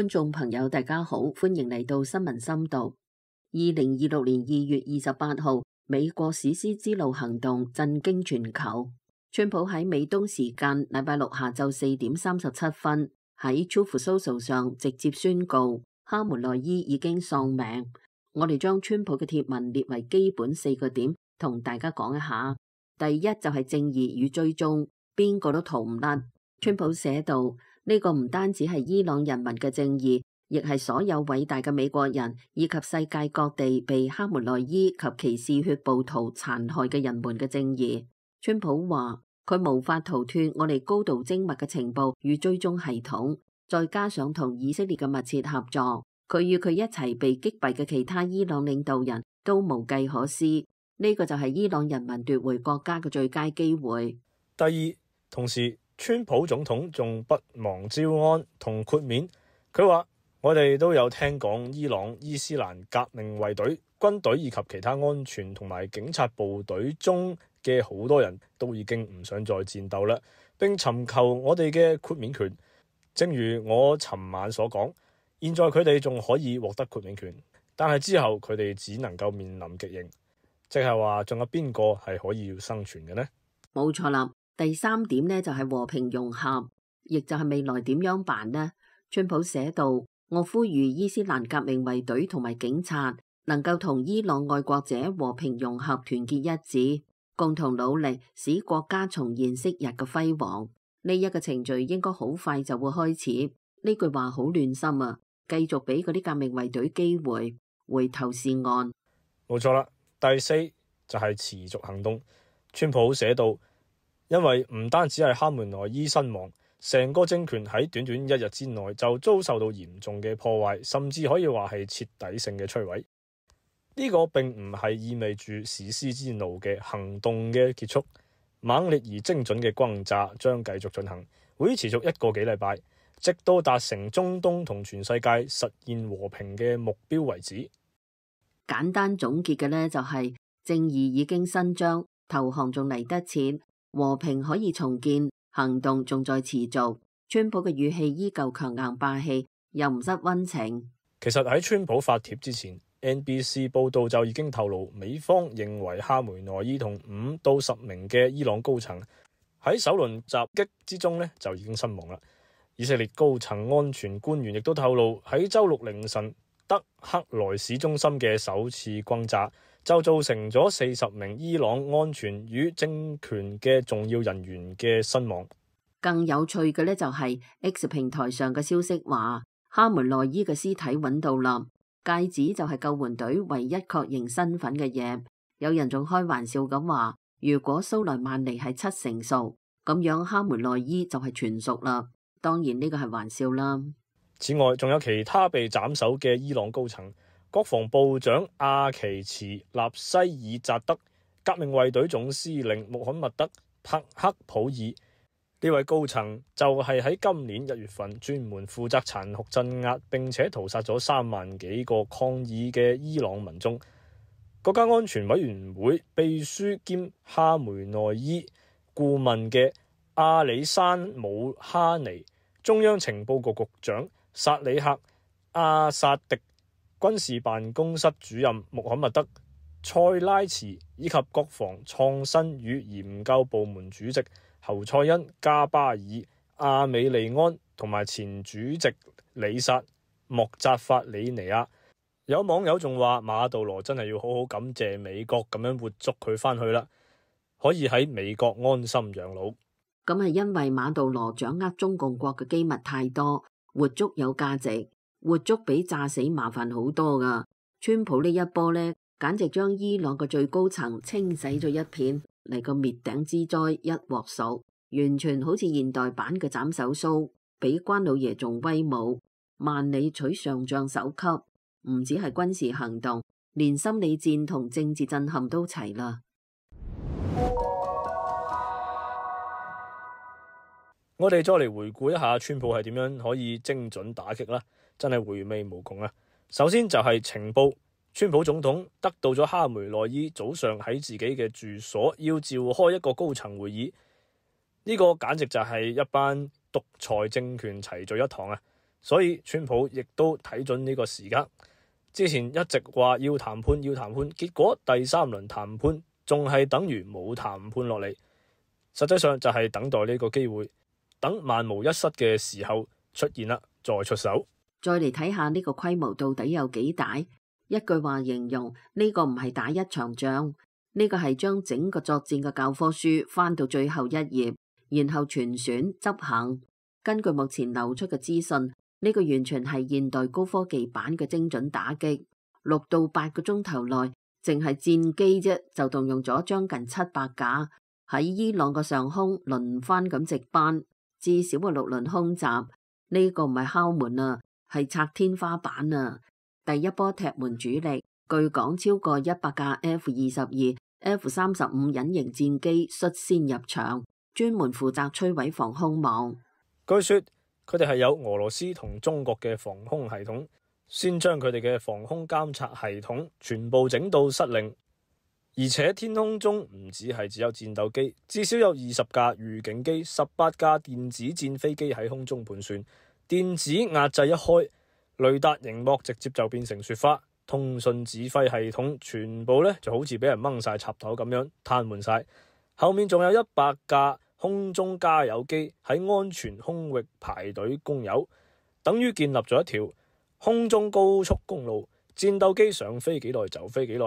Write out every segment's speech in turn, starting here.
觀眾朋友，大家好，歡迎嚟到新聞深度。2026年2月28號，美國史詩之路行動震驚全球。川普喺美東時間禮拜六下晝4點37分喺 Truth Social 上直接宣告，哈梅內伊已經喪命。我哋將川普嘅貼文列為基本4個點，同大家講一下。第一就係正義與追蹤，邊個都逃唔甩。川普寫道：呢個唔單止係伊朗人民嘅正義，亦係所有偉大嘅美國人以及世界各地被哈梅內伊及其嗜血暴徒殘害嘅人們嘅正義。川普話佢無法逃脫我哋高度精密嘅情報與追蹤系統，再加上同以色列嘅密切合作，佢與佢一齊被擊斃嘅其他伊朗領導人都無計可施。呢個就係伊朗人民奪回國家嘅最佳機會。第二，同時川普總統仲不忘招安同豁免，佢話我哋都有聽講伊朗伊斯蘭革命衛隊、軍隊以及其他安全同埋警察部隊中嘅好多人都已經唔想再戰鬥啦，並尋求我哋嘅豁免權。正如我尋晚所講，現在佢哋仲可以獲得豁免權，但係之後佢哋只能夠面臨極刑，即係話仲有邊個係可以要生存嘅呢？冇錯啦。第三點呢，就係和平融合，亦就係未來點樣辦呢？川普寫道：我呼籲伊斯蘭革命衛隊同埋警察能夠同伊朗愛國者和平融合，團結一致，共同努力使國家重現昔日嘅輝煌。呢一個程序應該好快就會開始。呢句話好暖心啊！繼續俾嗰啲革命衛隊機會，回頭是岸。冇錯啦。第四就係持續行動。川普寫道：因為唔單止係哈梅內伊身亡，成個政權喺短短1日之內就遭受到嚴重嘅破壞，甚至可以話係徹底性嘅摧毀。呢個並唔係意味住史詩之路嘅行動嘅結束，猛烈而精準嘅轟炸將繼續進行，會持續1個幾禮拜，直到達成中東同全世界實現和平嘅目標為止。簡單總結嘅呢，就係正義已經伸張，投降仲嚟得切。和平可以重建，行動仲在持續。川普嘅語氣依舊強硬霸氣，又唔失溫情。其實喺川普發帖之前， NBC 報道就已經透露，美方認為哈梅內伊同5到10名嘅伊朗高層喺首輪襲擊之中呢就已經身亡啦。以色列高層安全官員亦都透露，喺週六凌晨德克萊市中心嘅首次轟炸就造成咗40名伊朗安全與政權嘅重要人員嘅身亡。更有趣嘅呢，就係 X 平台上嘅消息話，哈梅內伊嘅屍體揾到啦，戒指就係救援隊唯一確認身份嘅嘢。有人仲開玩笑咁話，如果蘇萊曼尼係7成熟，咁樣哈梅內伊就係全熟啦。當然呢個係玩笑啦。此外，仲有其他被斬首嘅伊朗高層。國防部長阿奇茨納西爾扎德、革命衛隊總司令穆罕默德·帕克普爾，呢位高層就係喺今年1月份專門負責殘酷鎮壓並且屠殺咗3萬幾個抗議嘅伊朗民眾。國家安全委員會秘書兼哈梅內伊顧問嘅阿里山姆哈尼、中央情報局局長薩里克·阿薩迪、軍事辦公室主任穆罕默德·塞拉茨以及國防創新與研究部門主席侯賽因·加巴爾、阿美利安同埋前主席里薩·莫扎法里尼亞。有網友仲話馬杜羅真係要好好感謝美國咁樣活捉佢返去啦，可以喺美國安心養老。咁係因為馬杜羅掌握中共國嘅機密太多，活捉有價值。活捉比炸死麻煩好多噶。川普呢一波呢，簡直將伊朗嘅最高層清洗咗一片，嚟個滅頂之災一鑊熟，完全好似現代版嘅斬首騷，比關老爺仲威武。萬里取上將首級，唔止係軍事行動，連心理戰同政治震撼都齊啦。我哋再嚟回顧一下川普係點樣可以精準打擊啦，真係回味無窮啊！首先就係情報，川普總統得到咗哈梅內伊早上喺自己嘅住所要召開一個高層會議，呢個簡直就係一班獨裁政權齊聚一堂啊！所以川普亦都睇準呢個時間。之前一直話要談判，結果第3輪談判仲係等於冇談判落嚟，實際上就係等待呢個機會，等萬無一失嘅時候出現啦，再出手。再嚟睇下呢個規模到底有幾大？一句話形容呢個唔係打一場仗，呢個係將整個作戰嘅教科書翻到最後一頁，然後全選執行。根據目前流出嘅資訊，呢個完全係現代高科技版嘅精準打擊。6到8個鐘頭內，淨係戰機啫就動用咗將近700架喺伊朗嘅上空輪番咁值班，至少嘅6輪空襲。呢個唔係敲門啊，係拆天花板啊！第一波踢門主力，據講超過100架 F-22、F-35隱形戰機率先入場，專門負責摧毀防空網。據說佢哋係有俄羅斯同中國嘅防空系統，先將佢哋嘅防空監察系統全部整到失靈，而且天空中唔只有戰鬥機，至少有20架預警機、18架電子戰飛機喺空中盤旋，電子壓制一開，雷達熒幕直接就變成雪花，通訊指揮系統全部就好似俾人掹晒插頭咁樣癱瘓晒，後面仲有100架空中加油機喺安全空域排隊供油，等於建立咗一條空中高速公路，戰鬥機想飛幾耐就飛幾耐，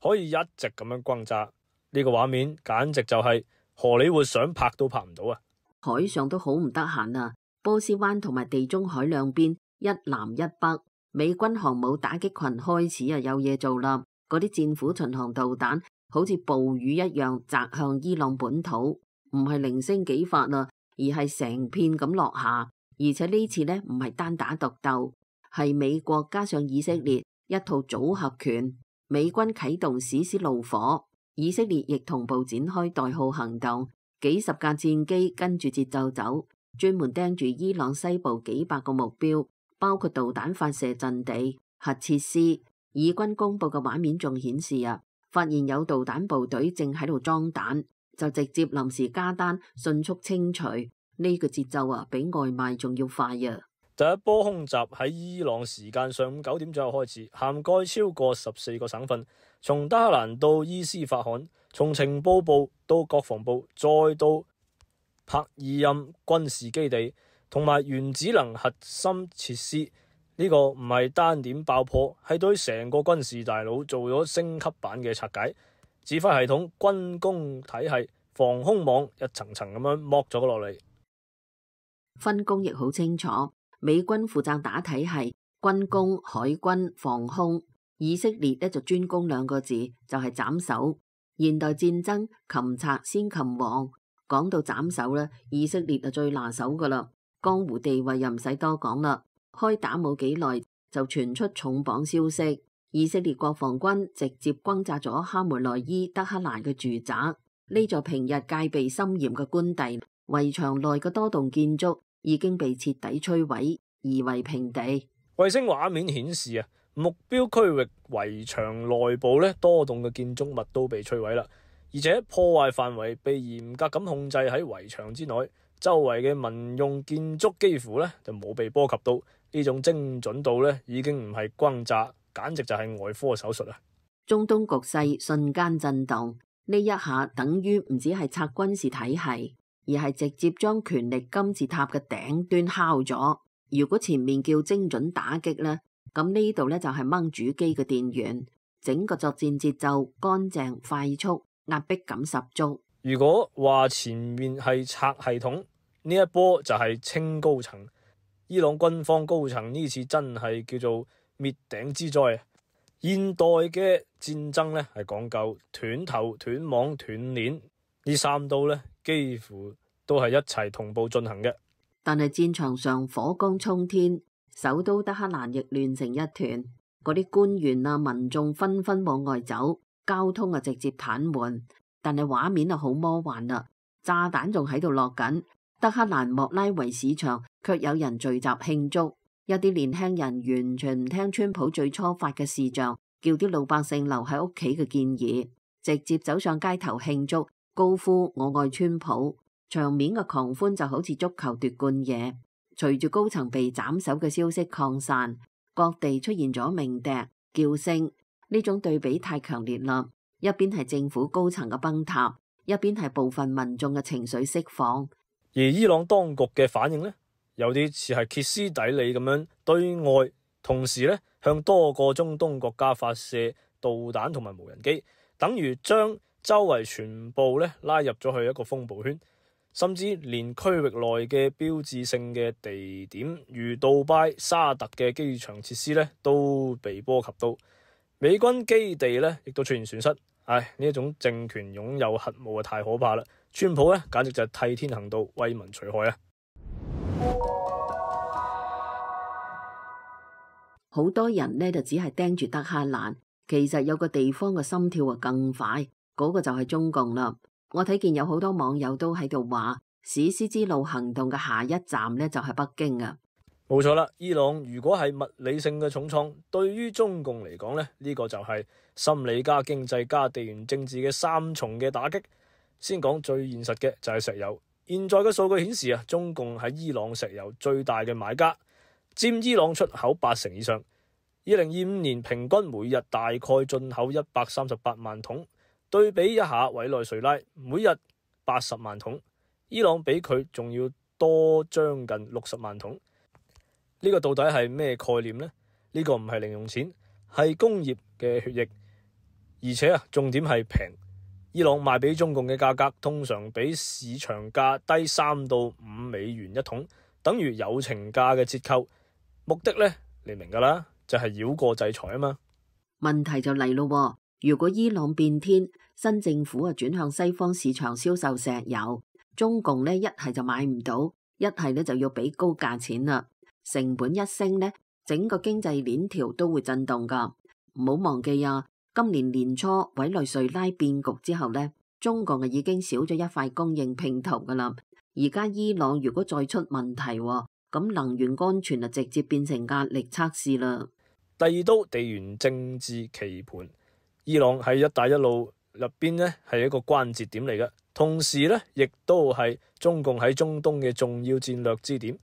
可以一直咁樣轟炸。呢個畫面簡直就係荷里活想拍都拍唔到啊！海上都好唔得閒啊，波斯灣同埋地中海兩邊一南一北，美軍航母打擊群開始有嘢做啦。嗰啲戰斧巡航導彈好似暴雨一樣砸向伊朗本土，唔係零星幾發啦，而係成片咁落下。而且呢次呢，唔係單打獨鬥，係美國加上以色列一套組合拳。美軍啟動史詩怒火，以色列亦同步展開代號行動，幾十架戰機跟住節奏走，專門盯住伊朗西部幾百個目標，包括導彈發射陣地、核設施。以軍公布嘅畫面仲顯示發現有導彈部隊正喺度裝彈，就直接臨時加單，迅速清除。呢個節奏比外賣仲要快啊！第一波空襲喺伊朗時間上午9點左右開始，涵蓋超過14個省份，從德黑蘭到伊斯法罕，從情報部到國防部，再到帕爾任軍事基地同埋原子能核心設施。呢個唔係單點爆破，係對成個軍事大腦做咗升級版嘅拆解，指揮系統、軍工體系、防空網一層層咁樣剝咗落嚟。分工亦好清楚，美軍負責打體系，軍工、海軍、防空；以色列就專攻2個字，就係斬首。現代戰爭擒賊先擒王，講到斬首呢，以色列就最拿手噶啦，江湖地位又唔使多講啦。開打冇幾耐就傳出重磅消息，以色列國防軍直接轟炸咗哈梅內伊德黑蘭嘅住宅。呢座平日戒備森嚴嘅官邸圍牆內嘅多棟建築已經被徹底摧毀，夷為平地。衛星畫面顯示目標區域圍牆內部多棟嘅建築物都被摧毀啦，而且破壞範圍被嚴格咁控制喺圍牆之內，周圍嘅民用建築幾乎就冇被波及到。呢種精準度已經唔係轟炸，簡直就係外科手術啊！中東局勢瞬間震動，呢一下等於唔止係拆軍事體系，而係直接將權力金字塔嘅頂端敲咗。如果前面叫精準打擊呢，咁呢度就係掹主機嘅電源，整個作戰節奏乾淨快速，壓迫感十足。如果話前面係拆系統，呢一波就係清高層。伊朗軍方高層呢次真係叫做滅頂之災。現代嘅戰爭係講究斷頭斷網斷鏈，呢3刀幾乎都係一齊同步進行嘅。但係戰場上火光沖天，首都德黑蘭亦亂成一團，嗰啲官員民眾紛紛往外走，交通直接癱瘓。但係畫面好魔幻啦，炸彈仲喺度落緊。德黑蘭莫拉維市場卻有人聚集慶祝，一啲年輕人完全唔聽川普最初發嘅視像，叫啲老百姓留喺屋企嘅建議，直接走上街頭慶祝，高呼我愛川普。場面嘅狂歡就好似足球奪冠夜。隨住高層被斬首嘅消息擴散，各地出現咗鳴笛、叫聲，呢種對比太強烈啦。一邊係政府高層嘅崩塌，一邊係部分民眾嘅情緒釋放。而伊朗當局嘅反應呢，有啲似係歇斯底里咁樣對外，同時呢向多個中東國家發射導彈同埋無人機，等於將周圍全部呢拉入咗去一個風暴圈，甚至連區域內嘅標誌性嘅地點如杜拜、沙特嘅機場設施呢都被波及到，美軍基地呢亦都出現損失。呢一種政權擁有核武啊，太可怕啦！川普呢簡直就係替天行道，為民除害啊！好多人呢就只係盯住德黑蘭，其實有個地方嘅心跳啊更快，嗰個就係中共啦。我睇見有好多網友都喺度話，史詩之路行動嘅下一站呢就係北京啊！冇錯啦，伊朗如果係物理性嘅重創，對於中共嚟講呢，呢個就係心理加經濟加地緣政治嘅三重嘅打擊。先講最現實嘅就係石油。現在嘅數據顯示啊，中共喺伊朗石油最大嘅買家，佔伊朗出口80%以上。2025年平均每日大概進口138萬桶，對比一下委內瑞拉每日80萬桶，伊朗比佢仲要多將近60萬桶。呢個到底係咩概念呢？呢個唔係零用錢，係工業嘅血液，而且重點係平。伊朗賣俾中共嘅價格通常比市場價低3到5美元一桶，等於友情價嘅折扣。目的呢，你明噶啦，就係繞過制裁啊嘛。問題就嚟咯，如果伊朗變天，新政府轉向西方市場銷售石油，中共呢一係就買唔到，一係呢就要俾高價錢啦。成本一升呢，整個經濟鏈條都會震動噶。唔好忘記啊，今年年初委內瑞拉變局之後呢，中共已經少咗一塊供應拼圖噶啦。而家伊朗如果再出問題，咁能源安全就直接變成壓力測試啦。第二刀地緣政治棋盤，伊朗喺一帶一路入邊呢係一個關節點嚟嘅，同時呢亦都係中共喺中東嘅重要戰略支點。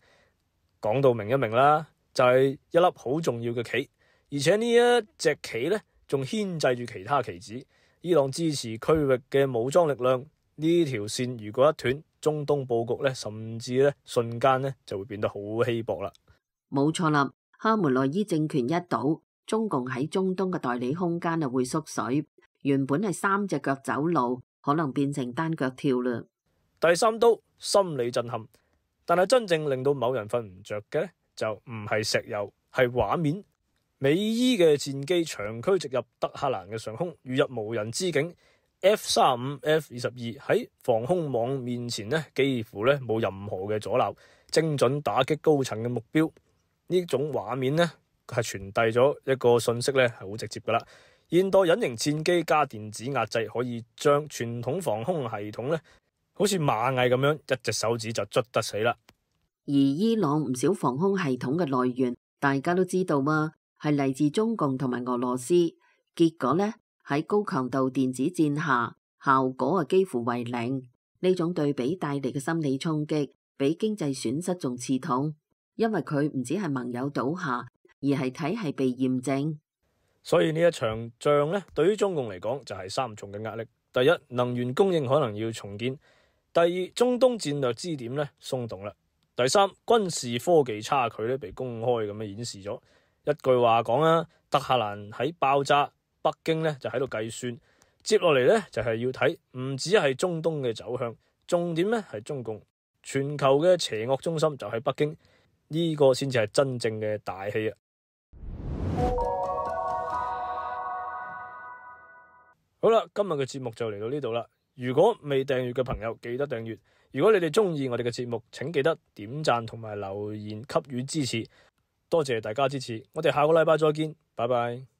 講到明一明啦，就係一粒好重要嘅棋，而且呢一隻棋呢仲牽制住其他棋子。伊朗支持區域嘅武裝力量，呢條線如果一斷，中東佈局呢甚至呢瞬間呢就會變得好稀薄啦。冇錯啦，哈梅內伊政權一倒，中共喺中東嘅代理空間啊會縮水，原本係3隻腳走路，可能變成單腳跳啦。第三刀心理震撼。但係真正令到某人瞓唔着嘅就唔係石油，係畫面。美伊嘅戰機長驅直入德黑蘭嘅上空，如入無人之境。F-35、F-22喺防空網面前呢，幾乎呢冇任何嘅阻撓，精準打擊高層嘅目標。呢種畫面呢係傳遞咗一個信息呢係好直接噶啦。現代隱形戰機加電子壓制，可以將傳統防空系統呢好似螞蟻咁樣，一隻手指就捽得死啦。而伊朗唔少防空系統嘅來源，大家都知道嘛，係嚟自中共同埋俄羅斯。結果呢，喺高強度電子戰下，效果幾乎為零。呢種對比帶嚟嘅心理衝擊，比經濟損失仲刺痛，因為佢唔只係盟友倒下，而係體系被驗證。所以呢一場仗呢，對於中共嚟講就係3重嘅壓力。第一，能源供應可能要重建。第二，中東戰略支點呢鬆動啦。第三，軍事科技差距呢被公開咁樣顯示咗。一句話講啦，德黑蘭喺爆炸，北京呢就喺度計算。接落嚟呢，就係要睇，唔止係中東嘅走向，重點呢係中共全球嘅邪惡中心就喺北京，呢個先至係真正嘅大戲啊！好啦，今日嘅節目就嚟到呢度啦。如果未訂閱嘅朋友，記得訂閱。如果你哋中意我哋嘅節目，請記得點讚同埋留言給予支持。多謝大家支持，我哋下個禮拜再見，拜拜。